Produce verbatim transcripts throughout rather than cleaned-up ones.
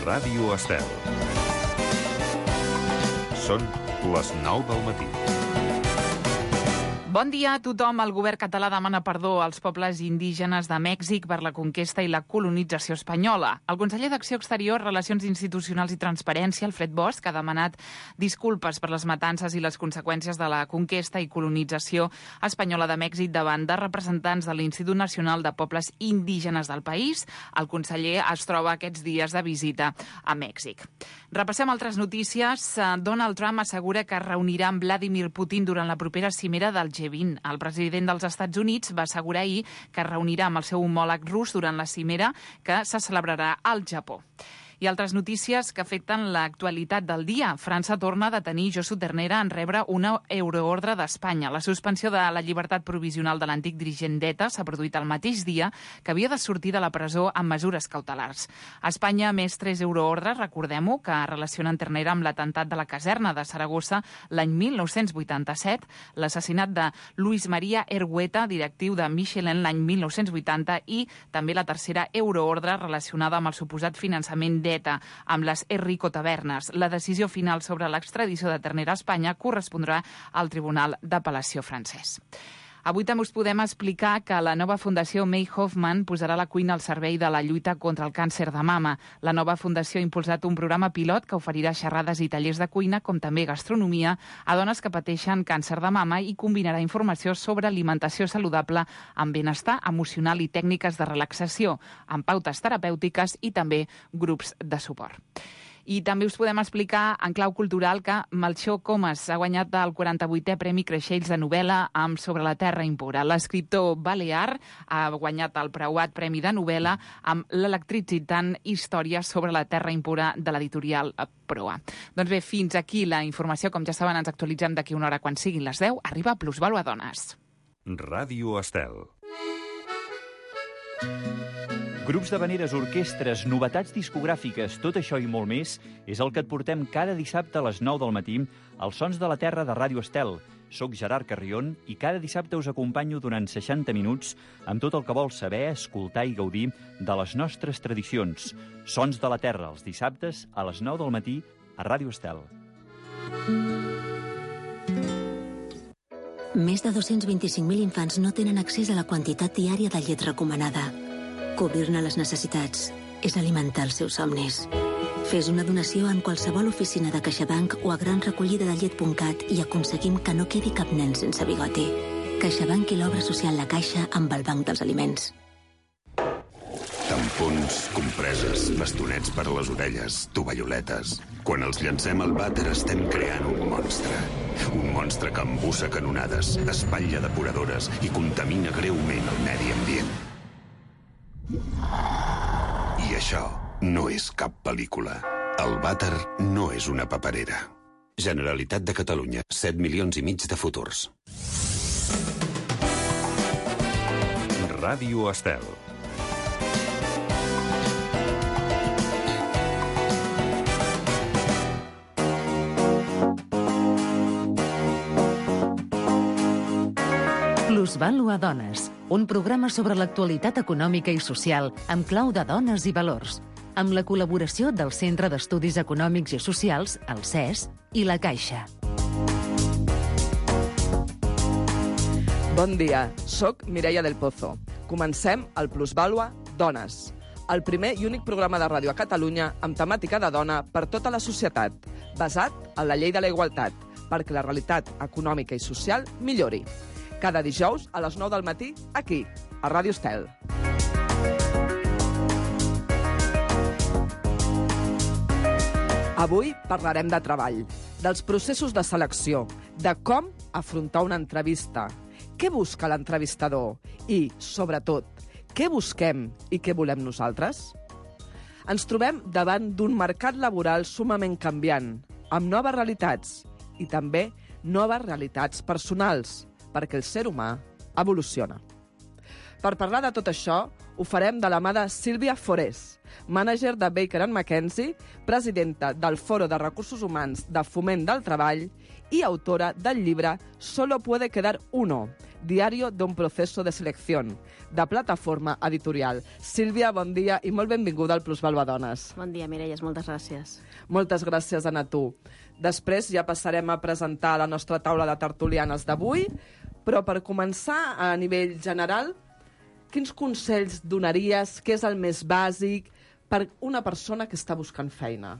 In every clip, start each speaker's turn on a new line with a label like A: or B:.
A: Ràdio Estel. Són les nou del matí.
B: Bon dia a tothom. El govern català demana perdó als pobles indígenes de Mèxic per la conquesta i la colonització espanyola. El conseller d'Acció Exterior, Relacions Institucionals i Transparència, Alfred Bosch, ha demanat disculpes per les matances i les conseqüències de la conquesta i colonització espanyola de Mèxic davant de representants de l'Institut Nacional de Pobles Indígenes del país. El conseller es troba aquests dies de visita a Mèxic. Repassem altres notícies. Donald Trump assegura que es reunirà amb Vladimir Putin durant la propera cimera del G vint. El president dels Estats Units va assegurar ahir que es reunirà amb el seu homòleg rus durant la cimera que se celebrarà al Japó. I altres notícies que afecten l'actualitat del dia. França torna a detenir Josu Ternera en rebre una euroordre d'Espanya. La suspensió de la llibertat provisional de l'antic dirigent d'ETA s'ha produït el mateix dia que havia de sortir de la presó amb mesures cautelars. A Espanya, més tres euroordres, recordem-ho, que relacionen Ternera amb l'atemptat de la caserna de Saragossa l'any mil nou-cents vuitanta-set, l'assassinat de Luis María Ergueta, directiu de Michelin l'any mil nou-cents vuitanta, i també la tercera euroordre relacionada amb el suposat finançament d'ETA amb les Errico Tavernes. La decisió final sobre l'extradició de Ternera a Espanya correspondrà al Tribunal d'Apel·lació francès. Avui també us podem explicar que la nova Fundació May Hoffman posarà la cuina al servei de la lluita contra el càncer de mama. La nova fundació ha impulsat un programa pilot que oferirà xerrades i tallers de cuina, com també gastronomia, a dones que pateixen càncer de mama i combinarà informació sobre alimentació saludable amb benestar emocional i tècniques de relaxació, amb pautes terapèutiques i també grups de suport. I també us podem explicar en clau cultural que Melchor Comas ha guanyat el quaranta-vuitè Premi Creixells de novel·la amb Sobre la terra impura. L'escriptor balear ha guanyat el preuat Premi de novel·la amb l'electritzant història sobre la terra impura de l'editorial Proa. Doncs bé, fins aquí la informació. Com ja saben, ens actualitzem d'aquí una hora quan siguin les deu. Arriba Plusvàlua Dones.
A: Ràdio Estel.
C: Grups d'havaneres, orquestres, novetats discogràfiques, tot això i molt més és el que et portem cada dissabte a les nou del matí als Sons de la Terra de Ràdio Estel. Soc Gerard Carrion i cada dissabte us acompanyo durant seixanta minuts amb tot el que vols saber, escoltar i gaudir de les nostres tradicions. Sons de la Terra, els dissabtes a les nou del matí a Ràdio Estel.
D: Més de dos-cents vint-i-cinc mil infants no tenen accés a la quantitat diària de llet recomanada. Cobrir-ne les necessitats és alimentar els seus somnis. Fes una donació en qualsevol oficina de CaixaBank o a gran recollida de llet punt cat i aconseguim que no quedi cap nen sense bigoti. CaixaBank i l'obra social La Caixa amb el Banc dels Aliments.
E: Tampons, compreses, bastonets per a les orelles, tovalloletes. Quan els llancem al vàter estem creant un monstre. Un monstre que embussa canonades, espatlla depuradores i contamina greument el medi ambient. I això no és cap pel·lícula. El vàter no és una paperera. Generalitat de Catalunya, set milions i mig de futurs.
A: Ràdio Estel.
F: Plusvàlua Dones, un programa sobre l'actualitat econòmica i social amb clau de dones i valors, amb la col·laboració del Centre d'Estudis Econòmics i Socials, el C E S, i la Caixa.
G: Bon dia, soc Mireia del Pozo. Comencem el Plusvàlua Dones, el primer i únic programa de ràdio a Catalunya amb temàtica de dona per tota la societat, basat en la llei de la igualtat, perquè la realitat econòmica i social millori. Cada dijous a les nou del matí, aquí, a Ràdio Estel. Avui parlarem de treball, dels processos de selecció, de com afrontar una entrevista, què busca l'entrevistador i, sobretot, què busquem i què volem nosaltres? Ens trobem davant d'un mercat laboral sumament canviant, amb noves realitats i també noves realitats personals, perquè el ser humà evoluciona. Per parlar de tot això, ho farem de la mà de Sílvia Forés, mànager de Baker and McKenzie, presidenta del Foro de Recursos Humans de Foment del Treball i autora del llibre Solo puede quedar uno, diario d'un proceso de selección, de Plataforma Editorial. Sílvia, bon dia i molt benvinguda al Plusvalua Dones.
H: Bon dia, Mireia, moltes gràcies.
G: Moltes gràcies, Anna, tu. Després ja passarem a presentar la nostra taula de tertulianes d'avui, però per començar a nivell general, quins consells donaries, què és el més bàsic per una persona que està buscant feina?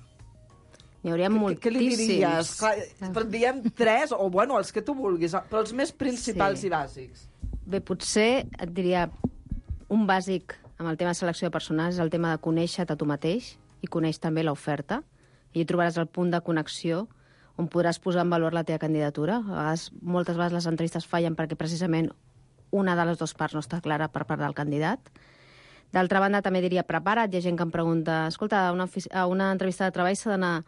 H: N'hi hauria moltíssims.
G: Què li diries? Clar, però diem tres, o bueno, els que tu vulguis, però els més principals
H: Sí.
G: i bàsics.
H: Bé, potser et diria un bàsic amb el tema de selecció de personals és el tema de conèixer-te a tu mateix i conèixer també l'oferta. I hi trobaràs el punt de connexió on podràs posar en valor la teva candidatura. A vegades, moltes vegades les entrevistes fallen perquè precisament una de les dues parts no està clara per part del candidat. D'altra banda, també diria prepara't. Hi ha gent que em pregunta, escolta, a una, a una entrevista de treball s'ha d'anar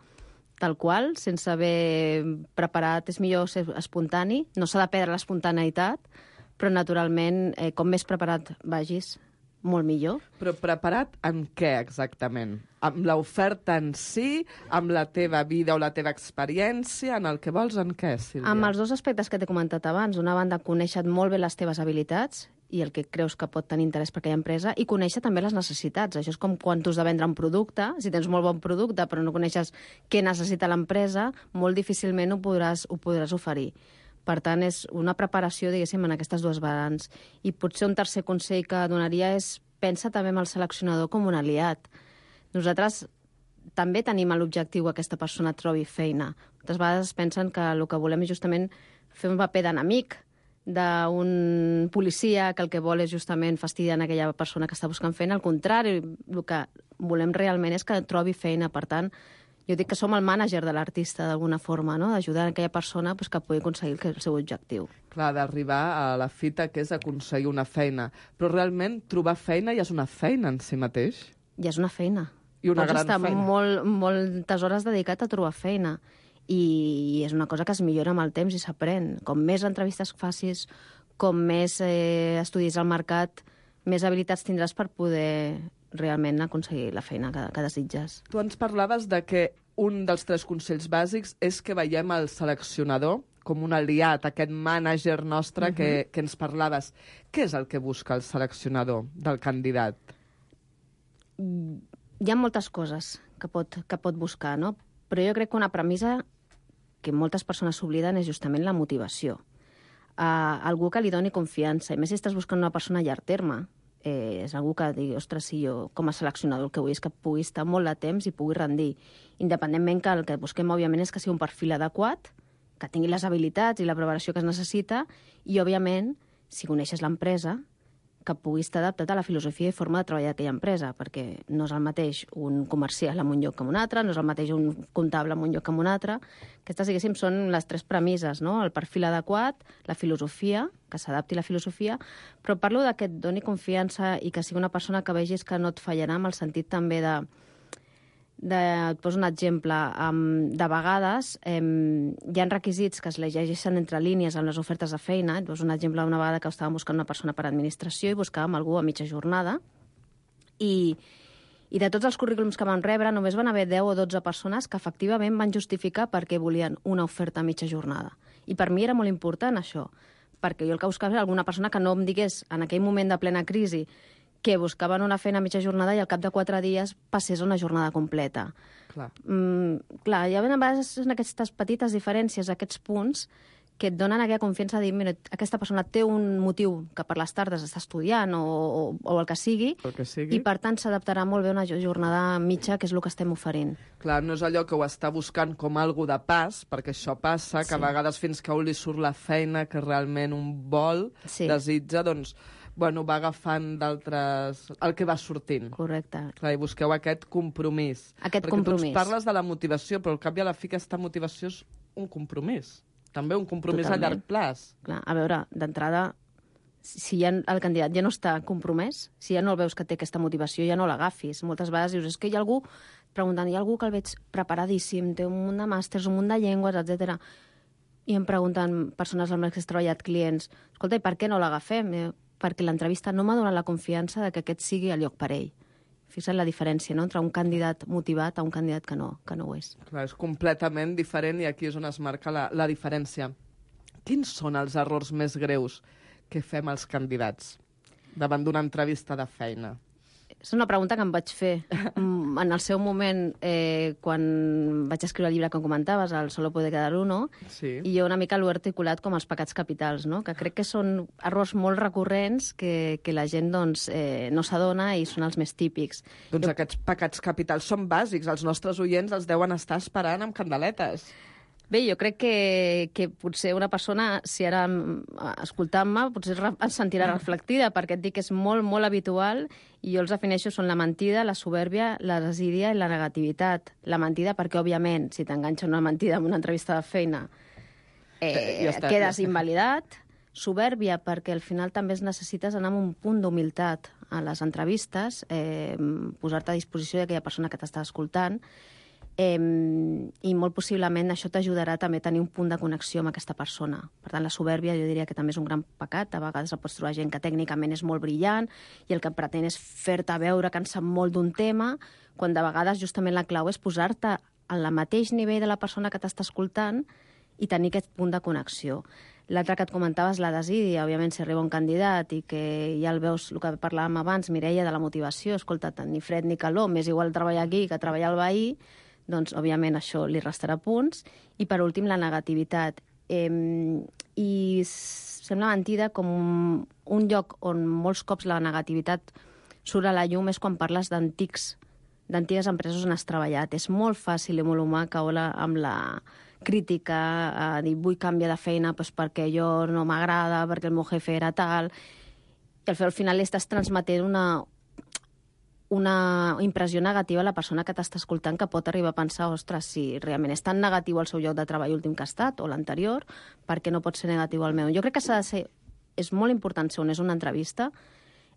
H: tal qual, sense haver preparat, és millor ser espontani, no s'ha de perdre l'espontaneïtat, però naturalment, eh, com més preparat vagis, molt millor.
G: Però preparat en què exactament? Amb l'oferta en si, amb la teva vida o la teva experiència, en el que vols, en què, Sílvia?
H: Amb els dos aspectes que t'he comentat abans, d'una banda, conèixer molt bé les teves habilitats i el que creus que pot tenir interès per aquella empresa, i conèixer també les necessitats. Això és com quan tu has de vendre un producte, si tens molt bon producte però no coneixes què necessita l'empresa, molt difícilment ho podràs, ho podràs oferir. Per tant, és una preparació, diguéssim, en aquestes dues vessants. I potser un tercer consell que donaria és pensa també en el seleccionador com un aliat. Nosaltres també tenim l'objectiu que aquesta persona trobi feina. Moltes vegades pensen que el que volem és justament fer un paper d'enemic d'un policia que el que vol és justament fastidiar aquella persona que està buscant feina. Al contrari, el que volem realment és que trobi feina. Per tant, jo dic que som el mànager de l'artista, d'alguna forma, no? D'ajudar aquella persona pues, que pugui aconseguir el seu objectiu.
G: Clar, d'arribar a la fita que és aconseguir una feina. Però realment trobar feina ja és una feina en si mateix.
H: Ja és una feina.
G: I una
H: Pots
G: gran
H: estar
G: feina.
H: Molt, moltes hores dedicat a trobar feina. I és una cosa que es millora amb el temps i s'aprèn. Com més entrevistes facis, com més eh, estudis al mercat, més habilitats tindràs per poder realment aconseguir la feina que, que desitges.
G: Tu ens parlaves de que un dels tres consells bàsics és que veiem el seleccionador com un aliat, aquest mànager nostre uh-huh. que, que ens parlaves. Què és el que busca el seleccionador del candidat?
H: Hi ha moltes coses que pot, que pot buscar, no? Però jo crec que una premissa que moltes persones s'obliden és justament la motivació. Uh, algú que li doni confiança, i més si estàs buscant una persona a llarg terme, eh, és algú que digui, ostres, si jo com a seleccionador el que vull és que pugui estar molt de temps i pugui rendir. Independentment que el que busquem, òbviament, és que sigui un perfil adequat, que tingui les habilitats i la preparació que es necessita, i, òbviament, si coneixes l'empresa, que pugui estar adaptat a la filosofia i forma de treballar d'aquella empresa, perquè no és el mateix un comercial en un lloc que en un altre, no és el mateix un comptable en un lloc que en un altre. Aquestes, diguéssim, són les tres premisses, no? El perfil adequat, la filosofia, que s'adapti a la filosofia, però parlo de que et doni confiança i que sigui una persona que vegis que no et fallarà, amb el sentit també de... de et poso un exemple. Um, de vegades um, hi ha requisits que es llegeixen entre línies en les ofertes de feina. Et poso un exemple d'una vegada que estàvem buscant una persona per administració i buscàvem algú a mitja jornada i, i de tots els currículums que vam rebre només van haver deu o dotze persones que efectivament van justificar per què volien una oferta a mitja jornada. I per mi era molt important això, perquè jo el que buscava era alguna persona que no em digués en aquell moment de plena crisi que buscaven una feina a mitja jornada i al cap de quatre dies passés a una jornada completa.
G: Clar.
H: Mm, clar, hi ha a vegades aquestes petites diferències, aquests punts, que et donen aquella confiança de dir, mira, aquesta persona té un motiu que per les tardes està estudiant o, o, o el que sigui,
G: El que sigui.
H: i per tant s'adaptarà molt bé a una jornada mitja, que és el que estem oferint.
G: Clar, no és allò que ho està buscant com algo de pas, perquè això passa, que
H: Sí.
G: a vegades fins que a un li surt la feina que realment un vol,
H: Sí.
G: desitja, doncs, bueno, va agafant d'altres... el que va sortint.
H: Correcte.
G: Clar, i busqueu aquest compromís.
H: Aquest
G: Perquè
H: compromís.
G: tu ens parles de la motivació, però al cap i a la fi aquesta motivació és un compromís. També un compromís
H: Totalment.
G: a llarg plaç.
H: Clar, a veure, d'entrada, si ja el candidat ja no està compromès, si ja no el veus que té aquesta motivació, ja no l'agafis. Moltes vegades dius, és que hi ha algú, preguntant, hi ha algú que el veig preparadíssim, té un munt de màsters, un munt de llengües, etcètera. I em pregunten persones amb les que he treballat, clients, escolta, i per què no l'agafem? Eh, perquè l'entrevista no m'ha donat la confiança de que aquest sigui el lloc per ell. Fixa't la diferència, no?, entre un candidat motivat a un candidat que no, que no ho és.
G: Clar, és completament diferent i aquí és on es marca la, la diferència. Quins són els errors més greus que fem els candidats davant d'una entrevista de feina?
H: És una pregunta que em vaig fer en el seu moment, eh, quan vaig escriure el llibre que comentaves, el Solo puede quedar uno,
G: sí.
H: I jo una mica l'ho he articulat com els pecats capitals, no?, que crec que són errors molt recurrents que, que la gent doncs, eh, no s'adona i són els més típics.
G: Doncs
H: jo...
G: aquests pecats capitals són bàsics, els nostres oients els deuen estar esperant amb candeletes.
H: Bé, jo crec que, que potser una persona, si ara escoltant-me, potser es sentirà reflectida, perquè et dic que és molt, molt habitual, i jo els defineixo, són la mentida, la soberbia, la desídia i la negativitat. La mentida perquè, òbviament, si t'enganxa una mentida en una entrevista de feina, eh, ja està, quedes ja invalidat. Soberbia perquè al final també es necessites anar amb un punt d'humilitat a les entrevistes, eh, posar-te a disposició d'aquella persona que t'està escoltant, Eh, i molt possiblement això t'ajudarà també a tenir un punt de connexió amb aquesta persona. Per tant, la soberbia jo diria que també és un gran pecat. A vegades el pots trobar gent que tècnicament és molt brillant i el que pretén és fer-te veure que en sap molt d'un tema, quan de vegades justament la clau és posar-te al mateix nivell de la persona que t'està escoltant i tenir aquest punt de connexió. L'altre que et comentaves, la desídia, òbviament, si arriba un candidat i que ja el veus, el que parlàvem abans, Mireia, de la motivació, escolta, ni fred ni calor, m'és igual treballar aquí que treballar al veí, doncs, òbviament, això li restarà punts. I, per últim, la negativitat. Eh, I sembla mentida com un, un lloc on molts cops la negativitat surt a la llum és quan parles d'antics, d'antigues empreses on has treballat. És molt fàcil i molt humà caure amb la crítica, a dir, vull canviar de feina doncs perquè jo no m'agrada, perquè el meu jefe era tal. I al final estàs transmetent una... una impressió negativa a la persona que t'està escoltant, que pot arribar a pensar, ostres, si realment és tan negatiu el seu lloc de treball últim que ha estat, o l'anterior, per què no pot ser negatiu el meu? Jo crec que s'ha de ser... És molt important ser on és una entrevista,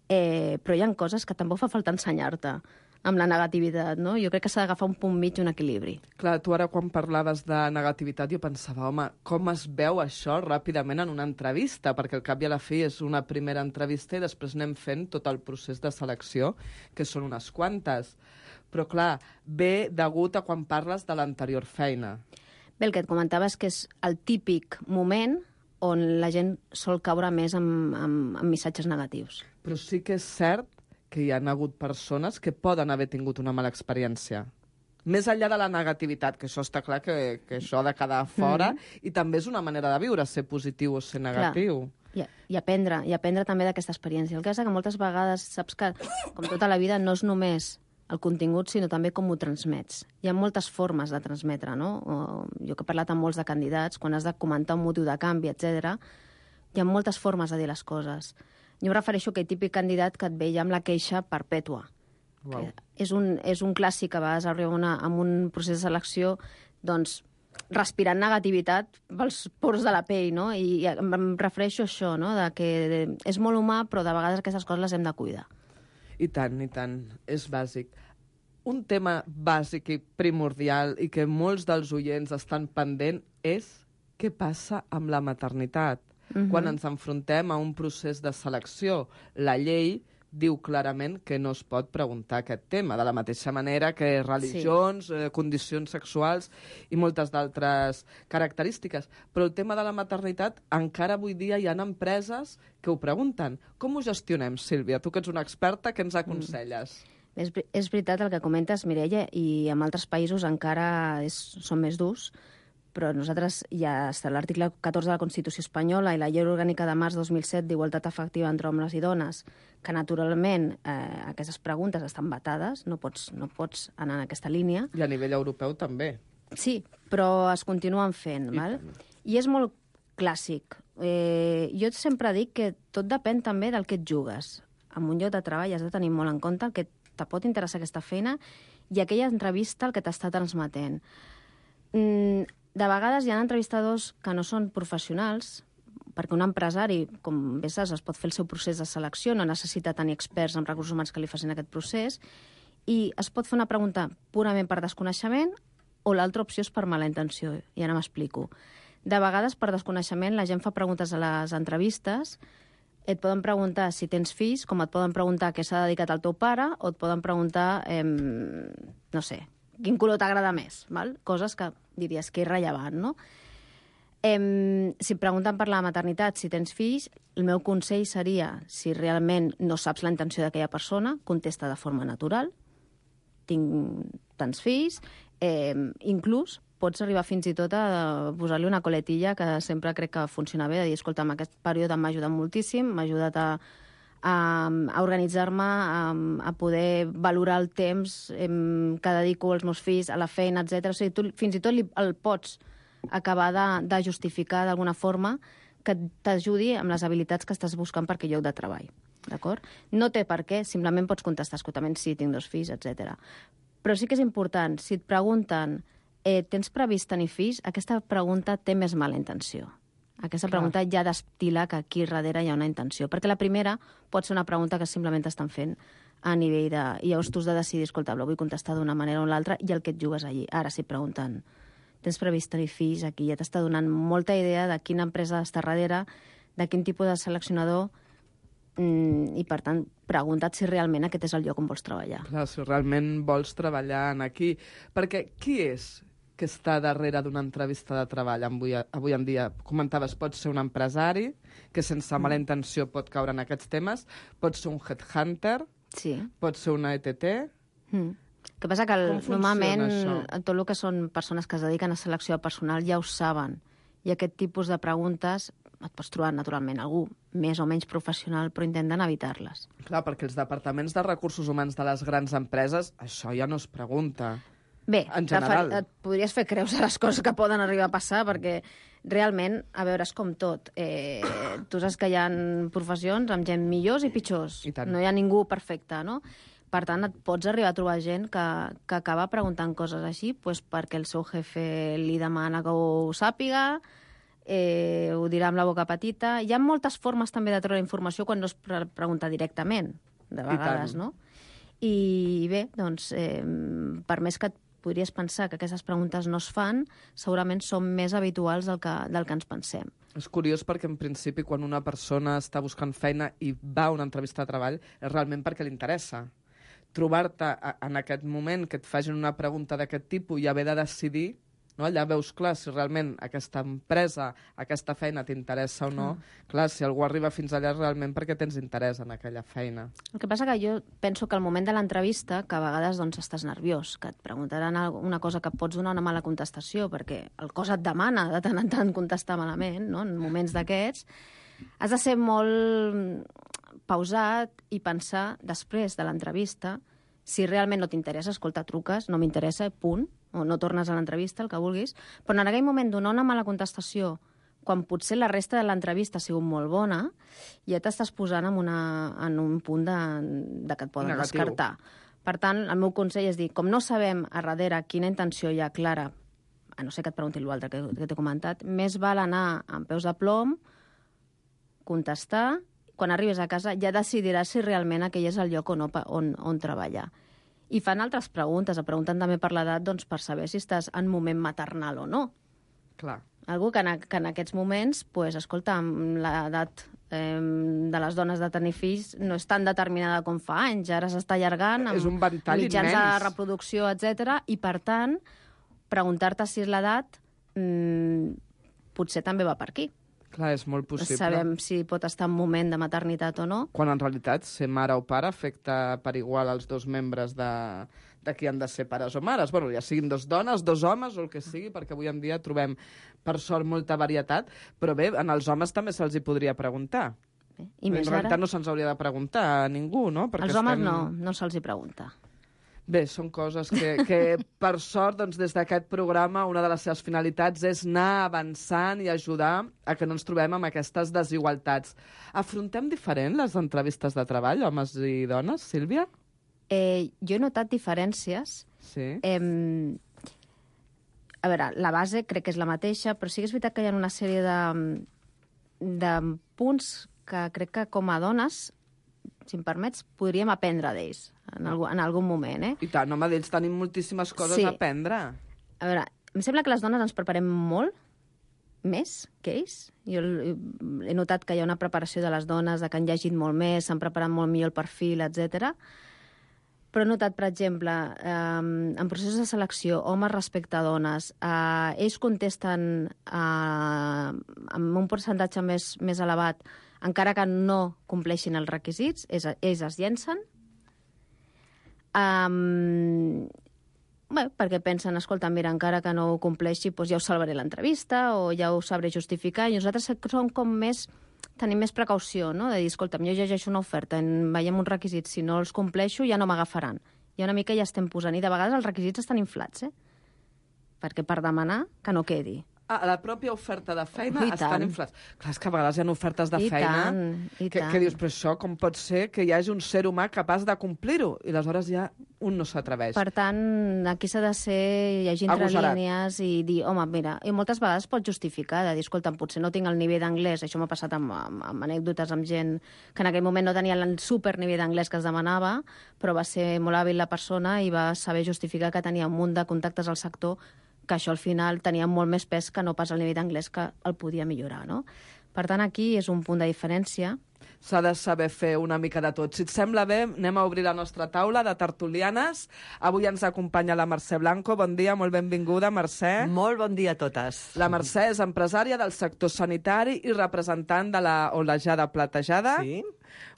H: eh, però hi ha coses que tampoc fa falta ensenyar-te amb la negativitat, no? Jo crec que s'ha d'agafar un punt mig i un equilibri.
G: Clar, tu ara quan parlaves de negativitat jo pensava, home, com es veu això ràpidament en una entrevista? Perquè al cap i a la fi és una primera entrevista i després anem fent tot el procés de selecció, que són unes quantes. Però clar, ve degut a quan parles de l'anterior feina.
H: Bé, el que et comentava és que és el típic moment on la gent sol caure més amb, amb, amb missatges negatius.
G: Però sí que és cert que hi ha hagut persones que poden haver tingut una mala experiència. Més enllà de la negativitat, que això està clar que, que això ha de quedar fora, mm. i també és una manera de viure, ser positiu o ser negatiu.
H: Clar. I, i aprendre, i aprendre també d'aquesta experiència. El que és que moltes vegades saps que, com tota la vida, no és només el contingut, sinó també com ho transmets. Hi ha moltes formes de transmetre, no? O, jo que he parlat amb molts de candidats, quan has de comentar un motiu de canvi, etcètera, hi ha moltes formes de dir les coses. Jo em refereixo a aquell típic candidat que et veia amb la queixa perpètua.
G: Wow.
H: És, un, és un clàssic que a vegades arriba una, amb un procés de selecció doncs, respirant negativitat pels pors de la pell, no? I, i em refereixo a això, no? De que és molt humà, però de vegades aquestes coses les hem de cuidar.
G: I tant, i tant. És bàsic. Un tema bàsic i primordial i que molts dels oients estan pendent és què passa amb la maternitat. Uh-huh. Quan ens enfrontem a un procés de selecció, la llei diu clarament que no es pot preguntar aquest tema, de la mateixa manera que religions, sí. eh, condicions sexuals i moltes d'altres característiques. Però el tema de la maternitat, encara avui dia hi ha empreses que ho pregunten. Com ho gestionem, Sílvia? Tu que ets una experta, què ens aconselles?
H: Mm. És, és veritat el que comentes, Mireia, i en altres països encara és, són més durs, però nosaltres ja està l'article catorze de la Constitució espanyola i la Llei Orgànica de març dos mil set d'Igualtat Efectiva entre homes i dones, que naturalment eh, aquestes preguntes estan vetades, no pots, no pots anar en aquesta línia.
G: I a nivell europeu també.
H: Sí, però es continuen fent, I val? També. I és molt clàssic. Eh, jo sempre dic que tot depèn també del que et jugues. En un lloc de treball has de tenir molt en compte el que te pot interessar aquesta feina i aquella entrevista el que t'està transmetent. Mm, De vegades hi ha entrevistadors que no són professionals, perquè un empresari, com bé saps, es pot fer el seu procés de selecció, no necessita tenir experts en recursos humans que li facin aquest procés, i es pot fer una pregunta purament per desconeixement o l'altra opció és per mala intenció, i ara m'explico. De vegades, per desconeixement, la gent fa preguntes a les entrevistes et poden preguntar si tens fills, com et poden preguntar què s'ha dedicat al teu pare, o et poden preguntar, eh, no sé, quin color t'agrada més, val? Coses que diries que és rellevant, no? Eh, si et pregunten per la maternitat, si tens fills, el meu consell seria, si realment no saps la intenció d'aquella persona, contesta de forma natural, tinc tants fills, eh, inclús pots arribar fins i tot a posar-li una coletilla que sempre crec que funciona bé, de dir, escolta, en aquest període m'ha ajudat moltíssim, m'ha ajudat a, a, a organitzar-me, a, a poder valorar el temps eh, que dedico als meus fills, a la feina, etcètera. O sigui, tu fins i tot li, el pots acabar de, de justificar d'alguna forma que t'ajudi amb les habilitats que estàs buscant per aquell lloc de treball. D'acord? No té per què, simplement pots contestar, escoltament, sí, tinc dos fills, etcètera. Però sí que és important, si et pregunten eh, tens previst tenir fills, aquesta pregunta té més mala intenció. Aquesta Clar. pregunta ja destila que aquí darrere hi ha una intenció. Perquè la primera pot ser una pregunta que simplement t'estan fent a nivell de... I llavors tu has de decidir, escolta, vull contestar d'una manera o l'altra, i el que et jugues allí. Ara, si et pregunten tens previst tenir fills, aquí ja t'està donant molta idea de quina empresa està darrere, de quin tipus de seleccionador, i, per tant, pregunta't si realment aquest és el lloc on vols treballar.
G: Clar, si realment vols treballar en aquí. Perquè qui és que està darrere d'una entrevista de treball avui, avui en dia? Comentaves, pot ser un empresari que sense mala intenció pot caure en aquests temes, pot ser un headhunter,
H: sí.
G: pot ser una E T T...
H: Mm. El que passa que el, normalment això? tot el que són persones que es dediquen a selecció de personal ja ho saben. I aquest tipus de preguntes et pots trobar naturalment algú més o menys professional, però intenten evitar-les.
G: Clar, perquè els departaments de recursos humans de les grans empreses, això ja no es pregunta.
H: Bé,
G: en general.
H: et podries fer creus a les coses que poden arribar a passar, perquè realment, a veure, és com tot. Eh, tu saps que hi ha professions amb gent millors i pitjors.
G: I tant.
H: No hi ha ningú perfecte, no? Per tant, et pots arribar a trobar gent que, que acaba preguntant coses així pues, perquè el seu jefe li demana que ho sàpiga, eh, ho dirà amb la boca petita. Hi ha moltes formes també de treure informació quan no es pre pregunta directament, de vegades, no? I bé, doncs, eh, per més que et podries pensar que aquestes preguntes no es fan, segurament són més habituals del que, del que ens pensem.
G: És curiós perquè, en principi, quan una persona està buscant feina i va a una entrevista de treball, és realment perquè li interessa. Trobar-te en aquest moment que et facin una pregunta d'aquest tipus i haver de decidir, no? Allà veus clar si realment aquesta empresa, aquesta feina t'interessa o no. Mm. Clar, si algú arriba fins allà és realment perquè tens interès en aquella feina.
H: El que passa que jo penso que al moment de l'entrevista, que a vegades doncs, estàs nerviós, que et preguntaran una cosa que pots donar una mala contestació, perquè el cos et demana de tant en tant contestar malament, no? En moments d'aquests, has de ser molt pausat i pensar després de l'entrevista si realment no t'interessa, escolta, truques, no m'interessa, punt, o no tornes a l'entrevista, el que vulguis, però en aquell moment donar una mala contestació quan potser la resta de l'entrevista ha sigut molt bona, ja t'estàs posant en, una, en un punt de, de que et poden Negatiu. descartar. Per tant, el meu consell és dir, com no sabem a darrere quina intenció hi ha clara, a no ser que et pregunti l'altre que, que t'he comentat, més val anar amb peus de plom, contestar, quan arribes a casa ja decidiràs si realment aquell és el lloc on, on, on treballar. I fan altres preguntes, et pregunten també per l'edat, doncs per saber si estàs en moment maternal o no.
G: Clar.
H: Algú que en, que en aquests moments, pues, escolta, l'edat eh, de les dones de tenir fills no és tan determinada com fa anys, ara s'està allargant amb
G: és un ventall
H: mitjans
G: immens.
H: de reproducció, etcètera. I per tant, preguntar-te si és l'edat mmm, potser també va per aquí.
G: Clar, és molt possible.
H: Sabem si pot estar en moment de maternitat o no.
G: Quan en realitat ser mare o pare afecta per igual als dos membres de, de qui han de ser pares o mares. Bueno, ja siguin dos dones, dos homes o el que sigui, perquè avui en dia trobem, per sort, molta varietat. Però bé, en els homes també se'ls hi podria preguntar.
H: Bé, i més
G: en realitat
H: ara...
G: no se'ns hauria de preguntar a ningú, no? Perquè
H: als homes
G: estem...
H: no, no se'ls hi pregunta.
G: Bé, són coses que, que per sort, doncs, des d'aquest programa, una de les seves finalitats és anar avançant i ajudar a que no ens trobem amb aquestes desigualtats. Afrontem diferent les entrevistes de treball, homes i dones, Sílvia?
H: Eh, jo he notat diferències.
G: Sí.
H: Eh, a veure, la base crec que és la mateixa, però sí que és veritat que hi ha una sèrie de, de punts que crec que com a dones, si em permets, podríem aprendre d'ells en, algun, en algun moment, eh?
G: I tant, home, d'ells tenim moltíssimes coses
H: sí.
G: a aprendre.
H: A veure, em sembla que les dones ens preparem molt més que ells. Jo he notat que hi ha una preparació de les dones, de que han llegit molt més, s'han preparat molt millor el perfil, etcètera. Però he notat, per exemple, eh, en processos de selecció, homes respecte a dones, eh, ells contesten eh, amb un percentatge més, més elevat, encara que no compleixin els requisits, ells, ells es llencen. Um, bé, perquè pensen, escolta, mira, encara que no ho compleixi, doncs ja us salvaré l'entrevista o ja ho sabré justificar. I nosaltres som com més... tenim més precaució, no?, de dir, escolta, jo llegeixo una oferta, en veiem uns requisits, si no els compleixo ja no m'agafaran. I una mica ja estem posant, i de vegades els requisits estan inflats, eh? Perquè per demanar que no quedi.
G: Ah, la pròpia oferta de feina
H: I
G: estan
H: tant.
G: inflats. Clar, és que a vegades hi ha ofertes de
H: I
G: feina
H: tant, i
G: que,
H: tant.
G: que dius, però això com pot ser que hi hagi un ser humà capaç de complir-ho? I aleshores ja un no s'atreveix.
H: Per tant, aquí s'ha de ser llegir entre
G: Agosarat.
H: línies i dir, home, mira, i moltes vegades pots justificar, de dir, escolta, potser no tinc el nivell d'anglès, això m'ha passat amb, amb, amb anècdotes amb gent que en aquell moment no tenia el super nivell d'anglès que es demanava, però va ser molt hàbil la persona i va saber justificar que tenia un munt de contactes al sector, que això al final tenia molt més pes que no pas el nivell d'anglès que el podia millorar, no? Per tant, aquí és un punt de diferència.
G: S'ha de saber fer una mica de tot. Si et sembla bé, anem a obrir la nostra taula de tertulianes. Avui ens acompanya la Mercè Blanco. Bon dia, molt benvinguda, Mercè.
I: Molt bon dia a totes.
G: La Mercè és empresària del sector sanitari i representant de la Olejada Platejada.
I: Sí.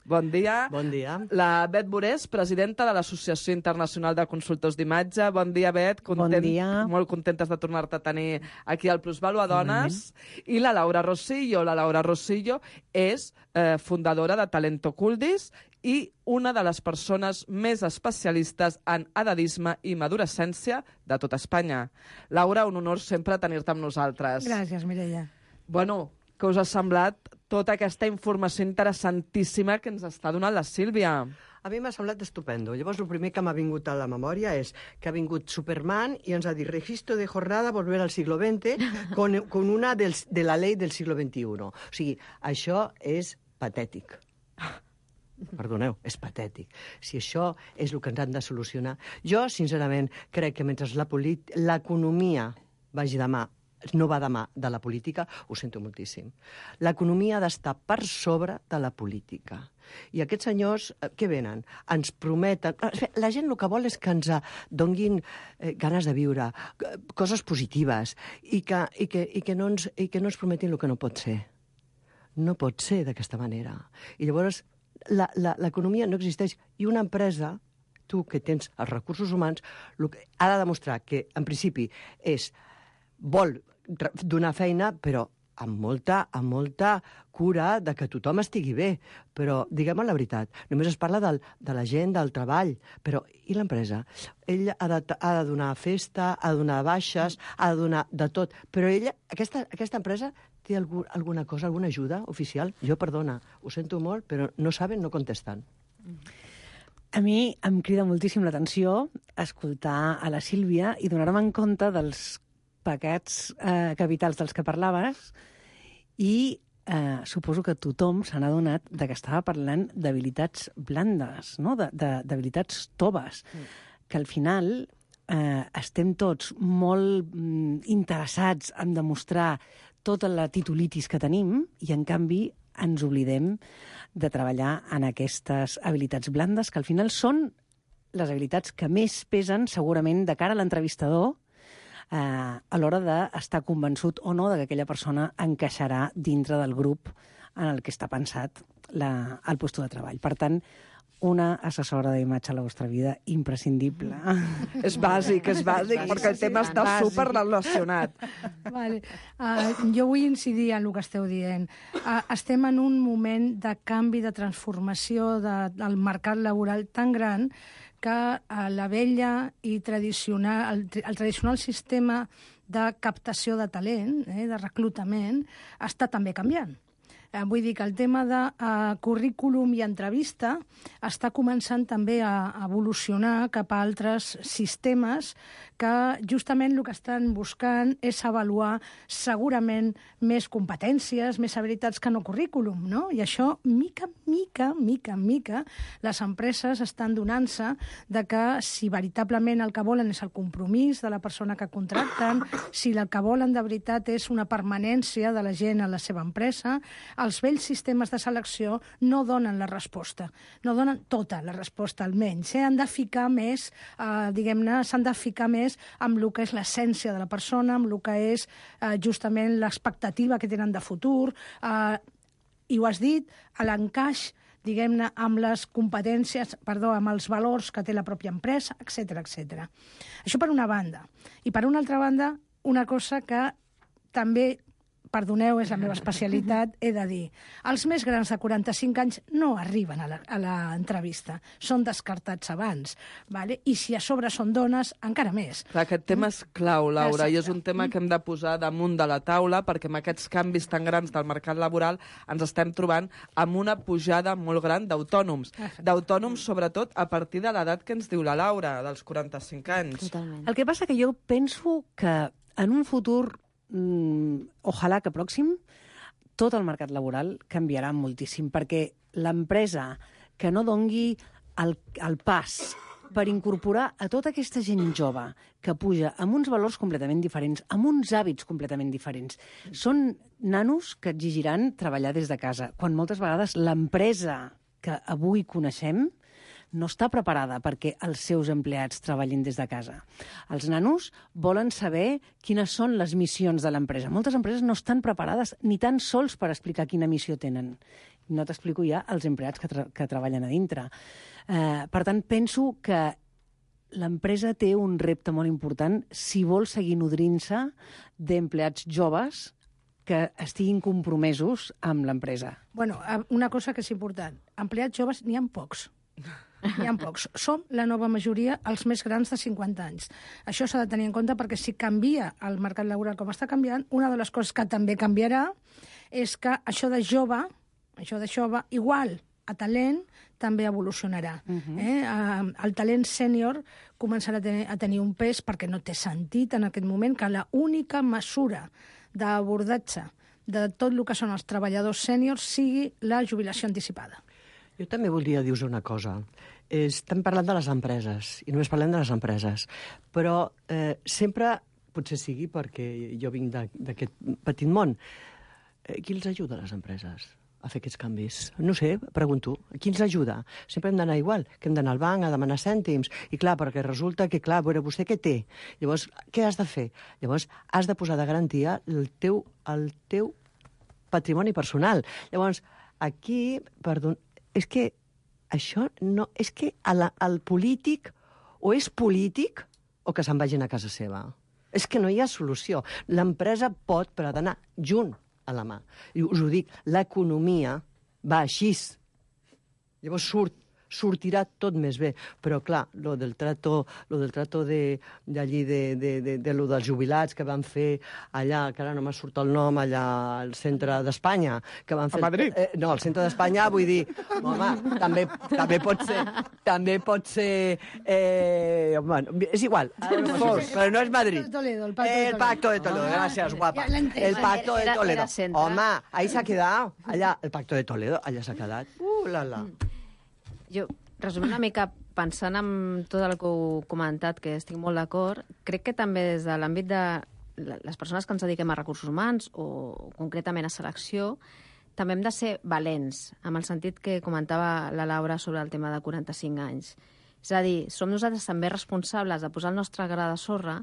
G: Bon dia.
I: Bon dia.
G: La Bet Borés, presidenta de l'Associació Internacional de Consultors d'Imatge. Bon dia, Bet. Content,
J: Bon dia.
G: Molt contentes de tornar-te a tenir aquí al Plusvalua Dones. I la Laura Rosillo. La Laura Rosillo és eh, fundadora de Talento Culdis i una de les persones més especialistes en edadisme i madurescència de tota Espanya. Laura, un honor sempre tenir-te amb nosaltres.
J: Gràcies, Mireia.
G: Bueno, què us ha semblat tota aquesta informació interessantíssima que ens està donant la Sílvia?
I: A mi m'ha semblat estupendo. Llavors, el primer que m'ha vingut a la memòria és que ha vingut Superman i ens ha dit registro de jornada, volver al siglo veinte, con, con una del, de la llei del siglo veintiuno. O sigui, això és patètic. Perdoneu, és patètic. Si això és el que ens han de solucionar... Jo, sincerament, crec que mentre la polit- l'economia vagi de mà, no va de mà de la política, ho sento moltíssim. L'economia ha d'estar per sobre de la política. I aquests senyors, eh, què venen? Ens prometen... La gent el que vol és que ens donguin eh, ganes de viure, eh, coses positives, i que, i, que, i, que no ens, i que no ens prometin el que no pot ser. No pot ser d'aquesta manera. I llavors l'economia no existeix. I una empresa, tu que tens els recursos humans, que ha de demostrar que, en principi, és vol donar feina, però amb molta, amb molta cura de que tothom estigui bé. Però, diguem la veritat, només es parla del, de la gent, del treball, però i l'empresa? Ell ha de, ha de donar festa, ha de donar baixes, ha de donar de tot, però ella, aquesta, aquesta empresa té algú, alguna cosa, alguna ajuda oficial? Jo, perdona, ho sento molt, però no saben, no contesten.
J: A mi em crida moltíssim l'atenció escoltar a la Sílvia i donar-me en compte dels pecats eh, capitals dels que parlaves i eh, suposo que tothom se n'ha adonat de que estava parlant d'habilitats blandes, no? de, de, d'habilitats toves, mm. que al final eh, estem tots molt mm, interessats en demostrar tota la titulitis que tenim i, en canvi, ens oblidem de treballar en aquestes habilitats blandes, que al final són les habilitats que més pesen, segurament, de cara a l'entrevistador, eh, a l'hora d'estar convençut o no de que aquella persona encaixarà dintre del grup en el que està pensat la, el lloc de treball. Per tant, una assessora d'imatge a la vostra vida imprescindible.
G: És bàsic, és bàsic, perquè el tema està superrelacionat.
K: Vale. Uh, jo vull incidir en el que esteu dient. Uh, estem en un moment de canvi, de transformació de, del mercat laboral tan gran que uh, la vella i tradicional, el, el tradicional sistema de captació de talent, eh, de reclutament, està també canviant. Eh, vull dir que el tema de uh, currículum i entrevista està començant també a evolucionar cap a altres sistemes que justament el que estan buscant és avaluar segurament més competències, més habilitats que no currículum, no? I això, mica, mica, mica, mica, les empreses estan donant-se de que si veritablement el que volen és el compromís de la persona que contracten, si el que volen de veritat és una permanència de la gent a la seva empresa, els vells sistemes de selecció no donen la resposta, no donen tota la resposta almenys. Eh? Han de ficar més, eh, diguem-ne, s'han de ficar més amb el que és l'essència de la persona, amb el que és eh, justament l'expectativa que tenen de futur, eh, i ho has dit, a l'encaix, diguem-ne, amb les competències, perdó, amb els valors que té la pròpia empresa, etcètera, etcètera. Això per una banda. I per una altra banda, una cosa que també, perdoneu, és la meva especialitat, he de dir, els més grans de quaranta-cinc anys no arriben a l'entrevista, són descartats abans, vale? I si a sobre són dones, encara més.
G: Clar, aquest tema és clau, Laura, Exacte. I és un tema que hem de posar damunt de la taula, perquè amb aquests canvis tan grans del mercat laboral ens estem trobant amb una pujada molt gran d'autònoms. D'autònoms, sobretot, a partir de l'edat que ens diu la Laura, dels quaranta-cinc anys.
H: Totalment.
J: El que passa que jo penso que en un futur Mm, ojalà que pròxim, tot el mercat laboral canviarà moltíssim, perquè l'empresa que no dongui el, el pas per incorporar a tota aquesta gent jove que puja amb uns valors completament diferents, amb uns hàbits completament diferents, són nanos que exigiran treballar des de casa, quan moltes vegades l'empresa que avui coneixem no està preparada perquè els seus empleats treballin des de casa. Els nanos volen saber quines són les missions de l'empresa. Moltes empreses no estan preparades ni tan sols per explicar quina missió tenen. No t'explico ja els empleats que, tra que treballen a dintre. Eh, per tant, penso que l'empresa té un repte molt important si vol seguir nodrint-se d'empleats joves que estiguin compromesos amb l'empresa.
K: Bueno, una cosa que és important. Empleats joves n'hi ha pocs. N'hi ha pocs. Som la nova majoria els més grans de cinquanta anys. Això s'ha de tenir en compte perquè si canvia el mercat laboral com està canviant, una de les coses que també canviarà és que això de jove, això de jove, igual a talent, també evolucionarà. Uh-huh. eh? El talent sènior començarà a tenir, a tenir un pes perquè no té sentit en aquest moment que la única mesura d'abordatge de tot el que són els treballadors sèniors sigui la jubilació anticipada.
I: Jo també voldria dir-vos una cosa. Estem parlant de les empreses, i només parlem de les empreses, però eh, sempre, potser sigui perquè jo vinc d'aquest petit món, eh, qui els ajuda a les empreses a fer aquests canvis? No sé, pregunto, qui ens ajuda? Sempre hem d'anar igual, que hem d'anar al banc a demanar cèntims, i clar, perquè resulta que, clar, veure, vostè què té? Llavors, què has de fer? Llavors, has de posar de garantia el teu, el teu patrimoni personal. Llavors, aquí, perdó, és que això no... És que el, el polític o és polític o que se'n vagin a casa seva. És que no hi ha solució. L'empresa pot, però ha d'anar junt a la mà. I us ho dic, l'economia va així. Llavors surt, sortirà tot més bé. Però, clar, lo del trato, lo del trato de, d'allí, de, de, de, de lo dels jubilats que van fer allà, que ara no m'ha surt el nom, allà al centre d'Espanya, que van fer...
G: A Madrid?
I: Eh, no, al centre d'Espanya, vull dir, home, també, també pot ser... També pot ser... Eh, bueno, és igual, fos, però no és Madrid.
K: Toledo, el Pacto de Toledo.
I: El Pacto de Toledo, gracias, guapa. El Pacto de Toledo. Home, ahí s'ha quedat, allà, el Pacto de Toledo, allà s'ha quedat. Uh, la, la.
H: Jo, resumint una mica, pensant en tot el que heu comentat, que estic molt d'acord, crec que també des de l'àmbit de les persones que ens dediquem a recursos humans o concretament a selecció, també hem de ser valents, amb el sentit que comentava la Laura sobre el tema de quaranta-cinc anys. És a dir, som nosaltres també responsables de posar el nostre gra de sorra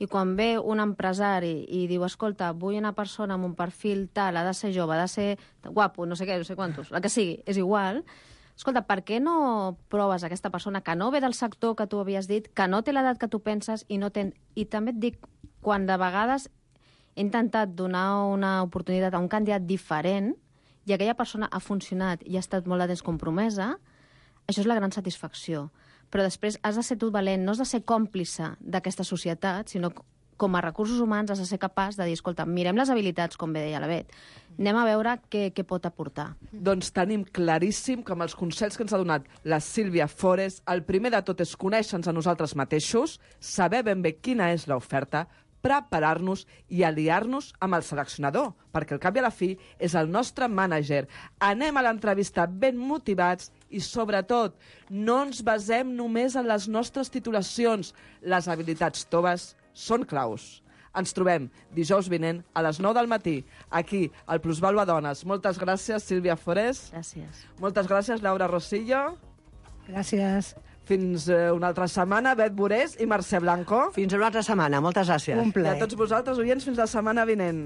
H: i quan ve un empresari i diu, escolta, vull una persona amb un perfil tal, ha de ser jove, ha de ser guapo, no sé què, no sé quantos, la que sigui, és igual. Escolta, per què no proves aquesta persona que no ve del sector que tu havies dit, que no té l'edat que tu penses i no ten... I també et dic, quan de vegades he intentat donar una oportunitat a un candidat diferent i aquella persona ha funcionat i ha estat molt de temps compromesa, això és la gran satisfacció. Però després has de ser tu valent, no has de ser còmplice d'aquesta societat, sinó com a recursos humans has de ser capaç de dir, escolta, mirem les habilitats, com bé deia la Bet, anem a veure què, què pot aportar.
G: Doncs tenim claríssim que amb els consells que ens ha donat la Sílvia Fores, el primer de tot és conèixer-nos a nosaltres mateixos, saber ben bé quina és l'oferta, preparar-nos i aliar-nos amb el seleccionador, perquè al cap i a la fi és el nostre mànager. Anem a l'entrevista ben motivats i, sobretot, no ens basem només en les nostres titulacions. Les habilitats toves són claus. Ens trobem dijous vinent a les nou del matí, aquí, al Plusvalua Dones. Moltes gràcies, Sílvia Forés.
H: Gràcies.
G: Moltes gràcies, Laura Rosillo.
K: Gràcies.
G: Fins eh, una altra setmana, Bet Borés i Mercè Blanco.
I: Fins una altra setmana, moltes gràcies.
K: Un plaer.
G: I a tots vosaltres, oients, fins la setmana vinent.